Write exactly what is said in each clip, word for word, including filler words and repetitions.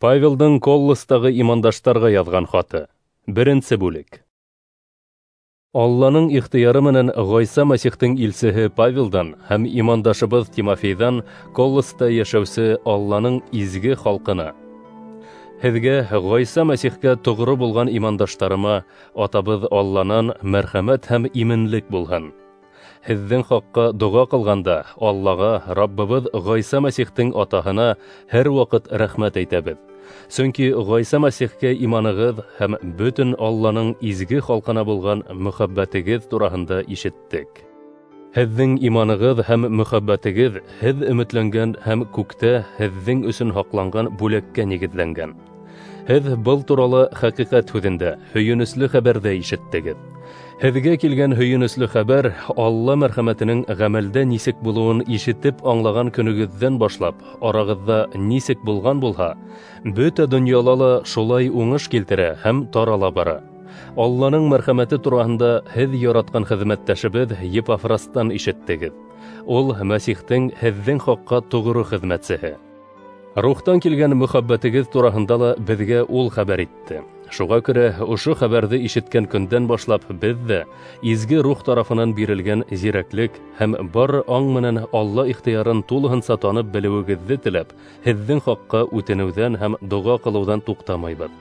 Павелдың Колостағы имандаштарға яҙған хаты. Беренсе бүлек. Алланың ихтыяры менән Ғайса Мәсихтең илсеһе Павелдан һәм имандашыбыҙ Тимофейҙан Колоста йәшәүсе Алланың изге халҡына. Һеҙгә Ғайса Мәсихкә тоғро булған имандаштарыма атабыҙ Алланан мәрхәмәт һәм именлек булһын. Һеҙҙең хаҡҡа доға ҡылғанда Аллаға, Раббыбыҙ Ғайса Мәсихтең атаһына һәр ваҡыт рәхмәт әйтәбеҙ. Сөнки Ғайса Мәсихкә иманығыҙ һәм бөтөн Алланың изге халҡына булған мөхәббәтегеҙ тураһында ишеттек. Һеҙҙең иманығыҙ һәм мөхәббәтегеҙ һеҙ өмөтләнгән һәм күктә һеҙҙең өсөн һаҡланған бүләккә нигеҙләнгән. Һеҙ был турала хәҡиҡәт һүҙендә, һөйөнөслө хәбәрҙә ишеттегеҙ. Һеҙгә килгән һөйөнөслө хәбәр Алла мәрхәмәтенең ғәмәлдә нисек булыуын ишетеп аңлаған көнөгөҙҙән башлап, арағыҙҙа нисек булған булһа, бөтә донъяла ла шулай уңыш килтерә һәм тарала бара. Алланың мәрхәмәте тураһында һеҙ яратҡан хеҙмәттәшебеҙ Епафрастан ишеттегеҙ. Ул Мәсихтең һеҙҙең хаҡҡа тоғро хеҙмәтсеһе. Рухтан килгән мөхәббәтегеҙ тураһында ла беҙгә ул хәбәр итте. Шуға күрә ошо хәбәрҙе ишеткән көндән башлап беҙ ҙә изге рух тарафынан бирелгән зирәклек һәм бар аң менән Алла ихтыярын тулыһынса танып белеүегеҙҙе теләп, һеҙҙең хаҡҡа үтенеүҙән һәм доға ҡылыуҙан туҡтамайбыҙ.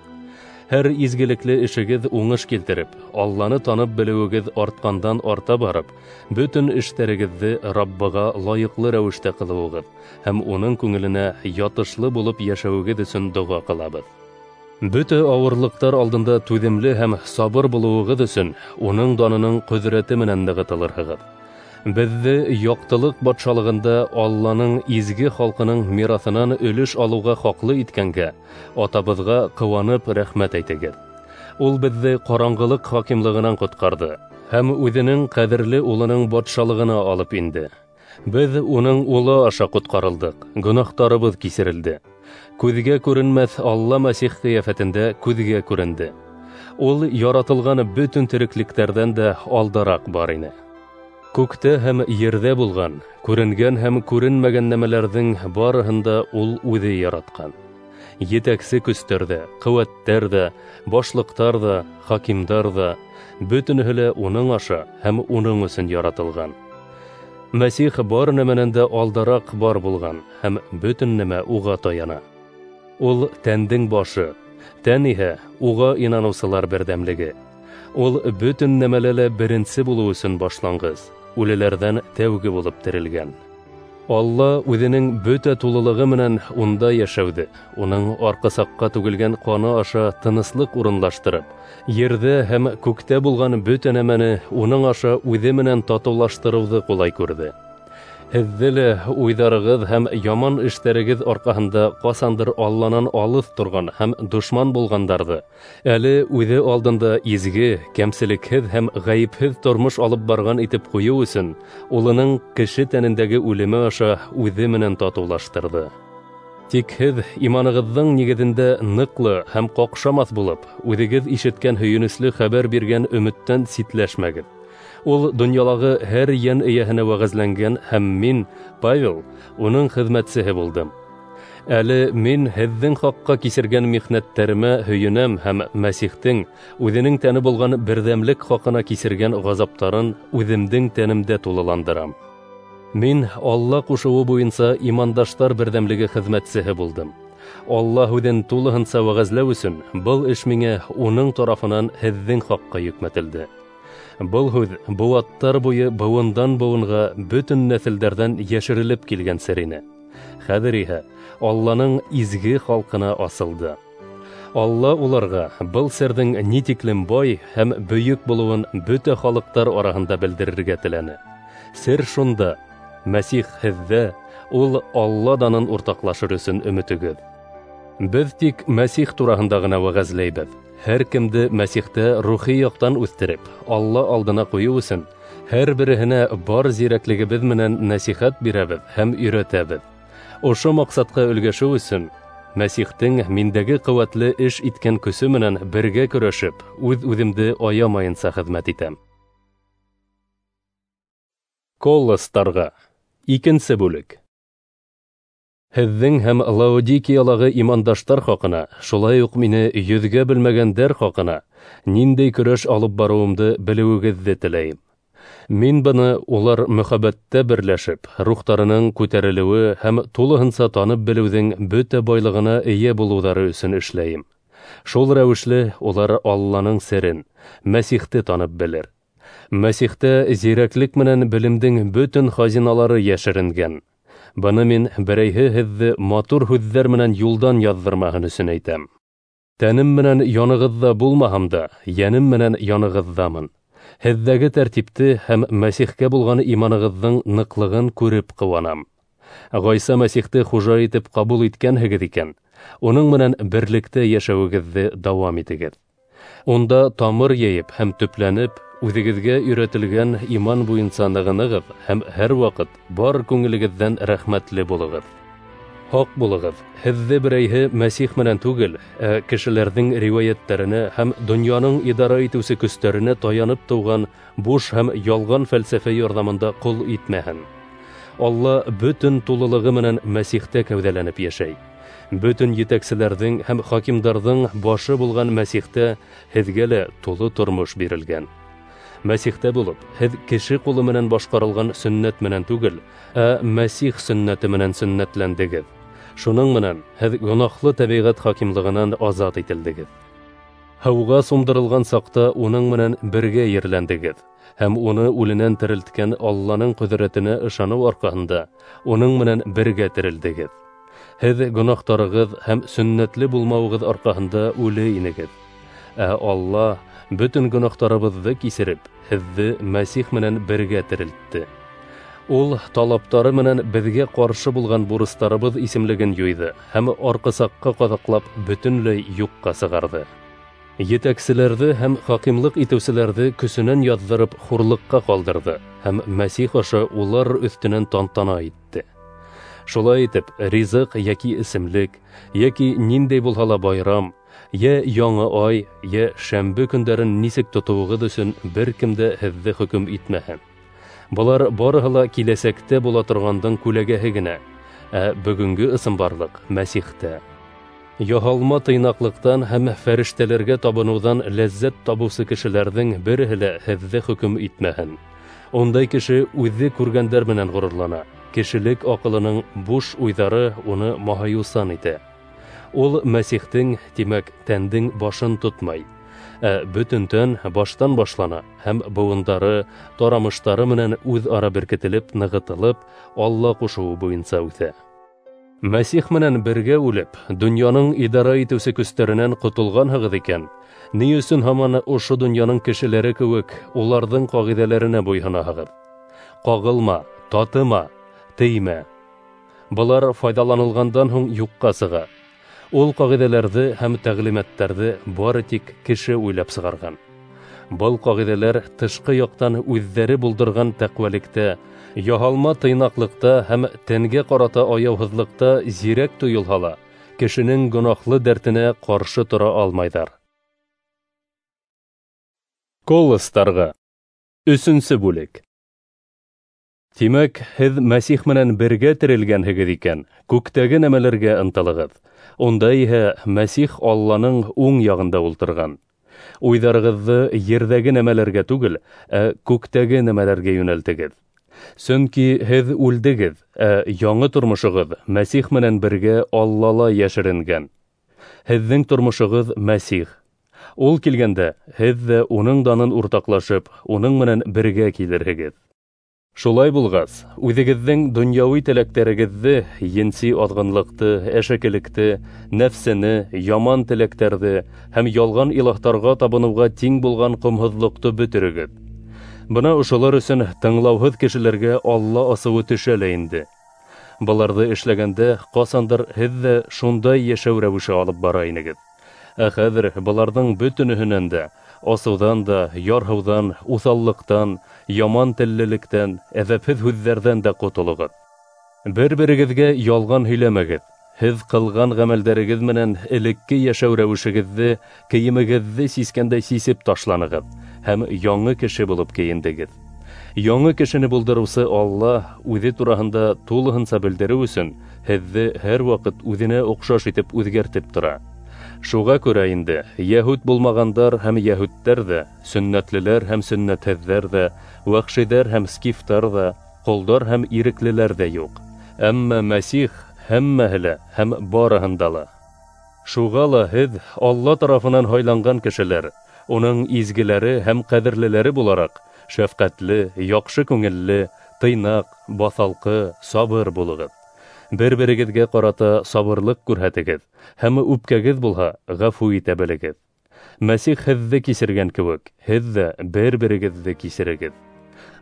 Һәр изгелекле эшегеҙ уңыш килтереп, Алланы танып белеүегеҙ артҡандан арта барып, бөтөн эштәрегеҙҙе Раббыға лайыҡлы рәүештә ҡылыуығыҙ һәм уның күңеленә ятышлы булып йәшәүегеҙ өсөн доға ҡылабыҙ. Бөтә ауырлыҡтар алдында түҙемле һәм сабыр булыуығыҙ өсөн уның данының ҡөҙрәте менән нығытылырһығыҙ. Беҙҙе яҡтылыҡ батшалығында Алланың изге халҡының мираҫынан өлөш алыуға хаҡлы иткәнгә атабыҙға ҡыуанып рәхмәт әйтегеҙ. Ул беҙҙе ҡараңғылыҡ хакимлығынан ҡотҡарҙы һәм үҙенең ҡәҙерле улының батшалығына алып инде. Беҙ уның улы аша ҡотҡарылдыҡ, гонаһтарыбыҙ кисерелде. Күҙгә күренмәҫ Алла Мәсих ҡиәфәтендә күҙгә күренде. Ул яратылған бөтөн тереклектәрҙән дә алдараҡ бар ине. Күктә һәм ерҙә булған, күренгән һәм күренмәгән нәмәләрҙең барыһын да ул үҙе яратҡан. Етәксе көстәр ҙә, ҡеүәттәр ҙә, башлыҡтар ҙа, хакимдар ҙа, бөтөнөһө лә уның аша һәм уның өсөн яратылған. Мәсих бар нәмәнән дә алдараҡ бар булған һәм бөтөн нәмә уға таяна. Ул тәндең башы, тән иһә уға инаныусылар берҙәмлеге. Ул бөтөн нәмәлә лә беренсе булыу өсөн башланғыс, үлеләрҙән тәүге булып терелгән. Алла үҙенең бөтә тулылығы менән унда йәшәүҙе, уның арҡасаҡҡа түгелгән ҡаны аша тыныслыҡ урынлаштырып, ерҙә һәм күктә булған бөтә нәмәне уның аша үҙе менән татыулаштырыуҙы ҡулай күрҙе. Һеҙҙе лә уйҙарығыҙ һәм яман эштәрегеҙ арҡаһында ҡасандыр Алланан алыҫ торған һәм дошман булғандарҙы, әле үҙе алдында изге, кәмселекһеҙ һәм ғәйепһеҙ тормош алып барған итеп ҡуйыу өсөн, улының кеше тәнендәге үлеме аша үҙе менән татыулаштырҙы. Тик һеҙ иманығыҙҙың нигеҙендә ныҡлы һәм ҡаҡшамаҫ булып, үҙегеҙ ишеткән һөйөнөслө хәбәр биргән өмөттән ситләшмәгеҙ. Ул донъялағы һәр йән эйәһенә вәғәзләнгән һәм мин, Павел, уның хеҙмәтсеһе булдым. Әле мин һеҙҙең хаҡҡа кисергән михнәттәремә һөйөнәм һәм Мәсихтең үҙенең тәне булған берҙәмлек хаҡына кисергән ғазаптарын үҙемдең тәнемдә тулыландырам. Мин Алла ҡушыуы буйынса имандаштар берҙәмлеге хеҙмәтсеһе булдым. Алла һүҙен тулыһынса вәғәзләү өсөн был эш миңә уның тарафынан һеҙҙең хаҡҡа йөкмәтелде. Был һүҙ быуаттар буйы быуындан быуынға бөтөн нәҫелдәрҙән йәшерелеп килгән сер ине. Хәҙер иһә Алланың изге халҡына асылды. Алла уларға был серҙең ни тиклем бай һәм бөйөк булыуын бөтә халыҡтар араһында белдерергә теләне. Сер шунда: Мәсих һеҙҙә, ул Алла данын уртаҡлашыр өсөн өмөтөгөҙ. Беҙ тик Мәсих тураһында ғына вәғәзләйбеҙ. Һәр кемде Мәсихтә рухи яҡтан үҫтереп, Алла алдына ҡуйыу өсөн һәр береһенә бар зирәклегебеҙ менән нәсихәт бирәбеҙ һәм өйрәтәбеҙ. Ошо маҡсатҡа өлгәшеү өсөн Мәсихтең миндәге ҡеүәтле эш иткән көсө менән бергә көрәшеп, үҙ-үҙемде аямайынса хеҙмәт итәм. Колостарға. Икенсе бүлек. Һеҙҙең һәм Лаодикиялағы имандаштар хаҡына, шулай уҡ мине йөҙгә белмәгәндәр хаҡына ниндәй көрәш алып барыуымды белеүегеҙҙе теләйем. Мин быны улар мөхәббәттә берләшеп, рухтарының күтәрелеүе һәм тулыһынса танып белеүҙең бөтә байлығына эйә булыуҙары өсөн эшләйем. Шул рәүешле улар Алланың серен, Мәсихте танып белер. Мәсихтә зирәклек менән белемдең бөтөн хазиналары йәшеренгән. Быны мин берәйһе һеҙҙе матур һүҙҙәр менән юлдан яҙҙырмаһын өсөн әйтәм. Тәнем менән янығыҙҙа булмаһам да, йәнем менән янығыҙҙамын. Һеҙҙәге тәртипте һәм Мәсихкә булған иманығыҙҙың ныҡлығын күреп ҡыуанам. Ғайса Мәсихте хужа итеп ҡабул иткәнһегеҙ икән, уның менән берлектә йәшәүегеҙҙе дауам итегеҙ. Унда тамыр йәйеп һәм төпләнеп, үҙегеҙгә өйрәтелгән иман буйынса нығынығыҙ һәм һәр ваҡыт бар күңелегеҙҙән рәхмәтле булығыҙ. Һаҡ булығыҙ, һеҙҙе берәйһе Мәсих менән түгел, ә кешеләрҙең риүәйәттәренә һәм донъяның идара итеүсе көстәренә таянып тыуған буш һәм ялған фәлсәфә ярҙамында ҡол итмәһен. Алла бөтөн тулылығы менән Мәсихтә кәүҙәләнеп йәшәй. Бөтөн етәкселәрҙең һәм хакимдарҙың башы булған Мәсихтә һеҙгә лә тулы тормош бирелгән. Мәсихтә булып, һеҙ кеше ҡулы менән башҡарылған сөннәт менән түгел, ә Мәсих сөннәте менән сөннәтләндегеҙ. Шуның менән һеҙ гонаһлы тәбиғәт хакимлығынан азат ителдегеҙ. Һыуға сумдырылған саҡта уның менән бергә ерләндегеҙ һәм уны үленән терелткән Алланың ҡөҙрәтенә ышаныу арҡаһында уның менән бергә терелдегеҙ. Һеҙ гонаһтарығыҙ һәм сөннәтле булмауығыҙ арҡаһында үле инегеҙ. Ә Алла бөтөн гонаһтарыбыҙҙы кисереп, һеҙҙе Мәсих менән бергә терелтте. Ул талаптары менән беҙгә ҡаршы булған бурыстарыбыҙ исемлеген юйҙы һәм арҡысаҡҡа ҡаҙаҡлап бөтөнләй юҡҡа сығарҙы. Етәкселәрҙе һәм хакимлыҡ итеүселәрҙе көсөнән яҙҙырып хурлыҡҡа ҡалдырҙы һәм Мәсих аша улар өҫтөнән тантана итте. Шулай итеп, ризыҡ йәки эсемлек, йәки ниндәй булһа ла байрам, йә яңы ай, йә шәмбе көндәрен нисек тотоуығыҙ өсөн бер кем дә һеҙҙе хөкөм итмәһен. Былар барыһы ла киләсәктә була торғандың күләгәһе генә, ә бөгөнгө ысынбарлыҡ Мәсихтә. Яһалма тыйнаҡлыҡтан һәм фәрештәләргә табыныуҙан ләззәт табыусы кешеләрҙең береһе лә һеҙҙе хөкөм итмәһен. Ундай кеше үҙе күргәндәр менән ғорурлана, кешелек аҡылының буш уйҙары уны маһайыусан итә. Ул Мәсихтең, тимәк, тәндең башын тотмай, ә бөтөн тән баштан башлана һәм быуындары, тарамыштары менән үҙ-ара беркетелеп, нығытылып, Алла ҡушыуы буйынса үҫә. Мәсих менән бергә үлеп, донъяның идара итеүсе көстәренән ҡотолғанһығыҙ икән, ни өсөн һаман ошо донъяның кешеләре кеүек уларҙың ҡағиҙәләренә буйһонаһығыҙ? Ҡағылма, татыма, теймә. Былар файҙаланылғандан һуң юҡҡа сыға. Ул ҡағиҙәләрҙе һәм тәғлимәттәрҙе бары тик кеше уйлап сығарған. Был ҡағиҙәләр тышҡы яҡтан үҙҙәре булдырған тәҡүәлектә, яһалма тыйнаҡлыҡта һәм тәнгә ҡарата аяуһыҙлыҡта зирәк тойолһа ла, кешенең гонаһлы дәртенә ҡаршы тора алмайҙар. Колостарға. Өсөнсө бүлек. Тимәк, һеҙ Мәсих менән бергә терелгәнһегеҙ икән, күктәге нәмәләргә ынтылығыҙ. Унда иһә Мәсих Алланың уң яғында ултырған. Уйҙарығыҙҙы ерҙәге нәмәләргә түгел, ә күктәге нәмәләргә йүнәлтегеҙ. Сөнки һеҙ үлдегеҙ, ә яңы тормошоғоҙ Мәсих менән бергә Аллала йәшеренгән. Һеҙҙең тормошоғоҙ Мәсих. Ул килгәндә, һеҙ ҙә уның данын уртаҡлашып, уның менән бергә килерһегеҙ. Шулай булғас, үҙегеҙҙең донъяуи теләктәрегеҙҙе, енси аҙғынлыҡты, әшәкелекте, нәфсене, яман теләктәрҙе һәм ялған илаһтарға табыныуға тиң булған ҡомһоҙлоҡто бөтөрөгөҙ. Бына ошолар өсөн тыңлауһыҙ кешеләргә Алла асыуы төшә лә инде. Быларҙы эшләгәндә ҡасандыр һеҙ ҙә шундай йәшәү рәүеше алып бара инегеҙ. Ә хәҙер быларҙың бөтөнөһөнән дә, асыуҙан да, ярһыуҙан, уҫаллыҡтан, яман теллелектән, әҙәпһеҙ һүҙҙәрҙән дә ҡотолоғоҙ. Бер-берегеҙгә ялған һөйләмәгеҙ. Һеҙ ҡылған ғәмәлдәрегеҙ менән элекке йәшәү рәүешегеҙҙе, кейемегеҙҙе сискәндәй сисеп ташланығыҙ һәм яңы кеше булып кейендегеҙ. Яңы кешене булдырыусы Алла үҙе тураһында тулыһынса белдереү өсөн һеҙҙе һәр ваҡыт үҙенә оҡшаш итеп үҙгәртеп тора. Шуға күрә инде йәһүд булмағандар һәм йәһүдтәр ҙә, сөннәтлеләр һәм сөннәтһеҙҙәр ҙә, вәхшиҙәр һәм скифтар ҙа, ҡолдар һәм иреклеләр ҙә юҡ. Әммә Мәсих һәммәһе лә һәм барыһында ла. Шуға ла һеҙ Алла тарафынан һайланған кешеләр, уның изгеләре һәм ҡәҙерлеләре булараҡ, шәфҡәтле, яҡшы күңелле, тыйнаҡ, баҫалҡы, сабыр булығыҙ. Бер-берегеҙгә ҡарата сабырлыҡ күрһәтегеҙ, һәм үпкәгеҙ булһа, ғәфү итә белегеҙ. Мәсих һеҙҙе кисергән кеүек, һеҙ ҙә бер-берегеҙҙе кисерегеҙ.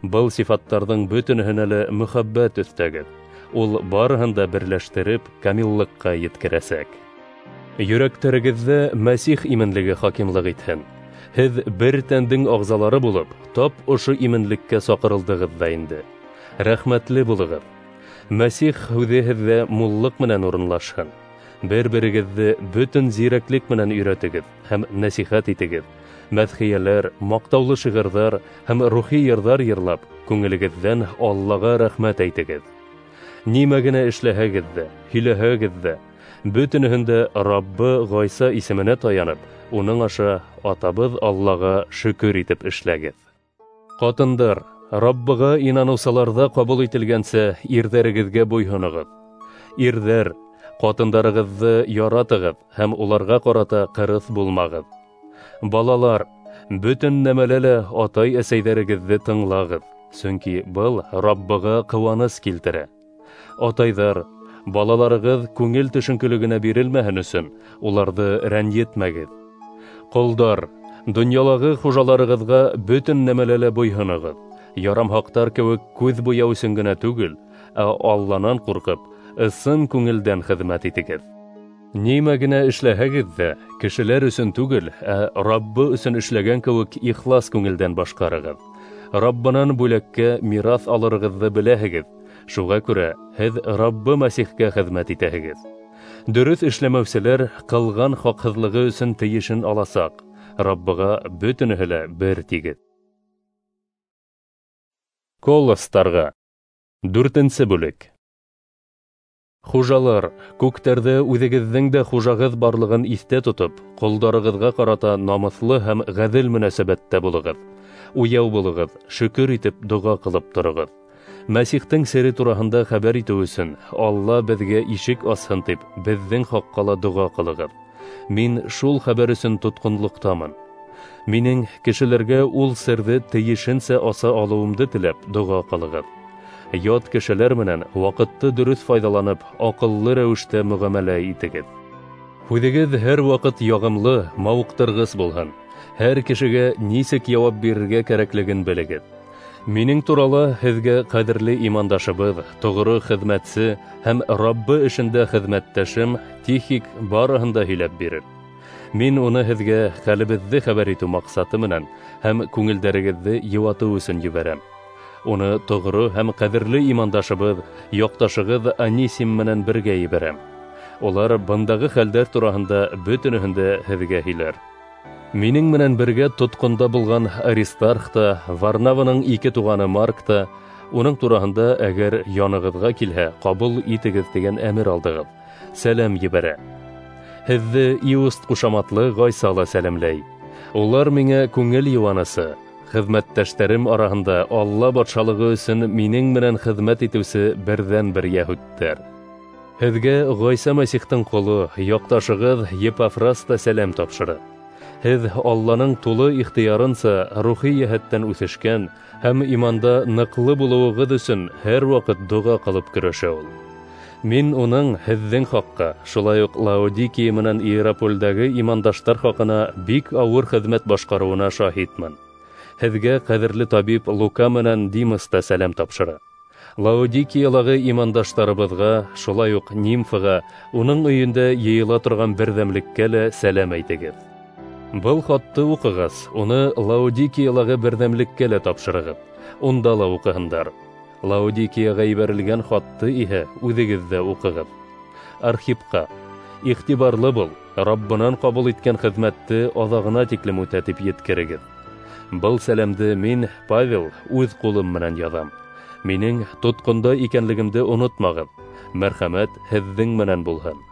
Был сифаттарҙың бөтөнөһөнә лә мөхәббәт өҫтәгеҙ. Ул барыһын да берләштереп, камиллыҡҡа еткерәсәк. Йөрәктәрегеҙҙә Мәсих именлеге хакимлыҡ итһен. Һеҙ бер тәндең ағзалары булып, тап ошо именлеккә саҡырылдығыҙ ҙа инде. Рәхмәтле булығыҙ. Мәсих һүҙе һеҙҙә муллыҡ менән урынлашһын. Бер-берегеҙҙе бөтөн зирәклек менән өйрәтегеҙ һәм нәсихәт итегеҙ. Мәҙхиәләр, маҡтаулы шиғырҙар һәм рухи йырҙар йырлап, күңелегеҙҙән Аллаға рәхмәт әйтегеҙ. Нимә генә эшләһәгеҙ ҙә, һөйләһәгеҙ ҙә, бөтөнөһөн дә Раббы Ғайса исеменә таянып, уның аша Атабыҙ Аллаға шөкөр итеп эшләгеҙ. Ҡатындар, Раббыға инаныусыларҙа ҡабул ителгәнсә ирҙәрегеҙгә буйһоноғоҙ. Ирҙәр, ҡатындарығыҙҙы яратығыҙ һәм уларға ҡарата ҡырыҫ булмағыҙ. Балалар, бөтөн нәмәлә лә атай-әсәйҙәрегеҙҙе тыңлағыҙ, сөнки был Раббыға ҡыуаныс килтерә. Атайҙар, балаларығыҙ күңел төшөнкөлөгөнә бирелмәһен өсөн уларҙы рәнйетмәгеҙ. Ҡолдар, донъялағы хужаларығыҙға бөтөн нәмәлә лә буйһоноғоҙ. Ярамһаҡтар кеүек күҙ буяу өсөн генә түгел, ә Алланан ҡурҡып, ысын күңелдән хеҙмәт итегеҙ. Нимә генә эшләһәгеҙ ҙә, кешеләр өсөн түгел, ә Раббы өсөн эшләгән кеүек ихлас күңелдән башҡарығыҙ. Раббынан бүләккә мираҫ алырығыҙҙы беләһегеҙ. Шуға күрә һеҙ Раббы Мәсихкә хеҙмәт итәһегеҙ. Дөрөҫ эшләмәүселәр ҡылған хаҡһыҙлығы өсөн тейешен аласаҡ. Раббыға бөтөнөһө лә бер тигеҙ. Колостарға. Дүртенсе бүлек. Хужалар, күктәрҙә үҙегеҙҙең дә хужағыҙ барлығын иҫтә тотоп, ҡолдарығыҙға ҡарата намыҫлы һәм ғәҙел мөнәсәбәттә булығыҙ. Уяу булығыҙ, шөкөр итеп доға ҡылып тороғоҙ. Мәсихтең сере тураһында хәбәр итеү өсөн Алла беҙгә ишек асһын тип, беҙҙең хаҡҡа ла доға ҡылығыҙ. Мин шул хәбәр өсөн тотҡонлоҡтамын. Минең кешеләргә ул серҙе тейешенсә аса алыуымды теләп доға ҡылығыҙ. Ят кешеләр менән ваҡытты дөрөҫ файҙаланып, аҡыллы рәүештә мөғәмәлә итегеҙ. Һүҙегеҙ һәр ваҡыт яғымлы, мауыҡтырғыс булһын. Һәр кешегә нисек яуап бирергә кәрәклеген белегеҙ. Минең турала һеҙгә ҡәҙерле имандашыбыҙ, тоғро хеҙмәтсе һәм Раббы эшендә хеҙмәттәшем Тихик барыһын да һөйләп бирер. Мин уны һеҙгә хәлебеҙҙе хәбәр итеү маҡсаты менән һәм күңелдәрегеҙҙе йыуатыу өсөн ебәрәм. Уны тоғро һәм ҡәҙерле имандашыбыҙ, яҡташығыҙ Анисим менән бергә ебәрәм. Улар бындағы хәлдәр тураһында бөтөнөһөн дә һеҙгә һөйләр. Минең менән бергә тотҡонда булған Аристарх та, Варнаваның ике туғаны Марк та, уның тураһында әгәр янығыҙға килһә, ҡабул итегеҙ тигән әмер алдығыҙ. Сәләм ебәрә. Һеҙҙе Иуст ҡушаматлы Ғайса ла сәләмләй. Улар миңә күңел йыуанысы, хеҙмәттәштәрем араһында Алла батшалығы өсөн минең менән хеҙмәт итеүсе берҙән-бер йәһүдтәр. Һеҙгә Ғайса Мәсихтең ҡоло, яҡташығыҙ Епафрас та сәләм тапшыра. Һеҙ Алланың тулы ихтыярынса рухи йәһәттән үҫешкән һәм иманда ныҡлы булыуығыҙ өсөн һәр ваҡыт доға ҡылып көрәшә ул. Мин уның һеҙҙең хаҡҡа, шулай уҡ Лаодикия менән Иерапольдәге имандаштар хаҡына бик ауыр хеҙмәт башҡарыуына шаһитмын. Һеҙгә ҡәҙерле табип Лука менән Димас та сәләм тапшыра. Лаодикиялағы имандаштарыбыҙға, шулай уҡ Нимфаға, уның өйөндә йыйыла торған берҙәмлеккә лә сәләм әйтегеҙ. Был хатты уҡығас, уны Лаодикиялағы берҙәмлеккә лә тапшырығыҙ. Унда ла уҡыһындар. Лаодикияға ебәрелгән хатты иһә үҙегеҙ ҙә уҡығыҙ. Архипҡа: иғтибарлы бул, Раббынан ҡабул иткән хеҙмәтте аҙағына тиклем үтә тип еткерегеҙ. Был сәләмде мин, Павел, үҙ ҡулым менән яҙам. Минең тотҡонда икәнлегемде онотмағыҙ. Мәрхәмәт һеҙҙең менән булһын.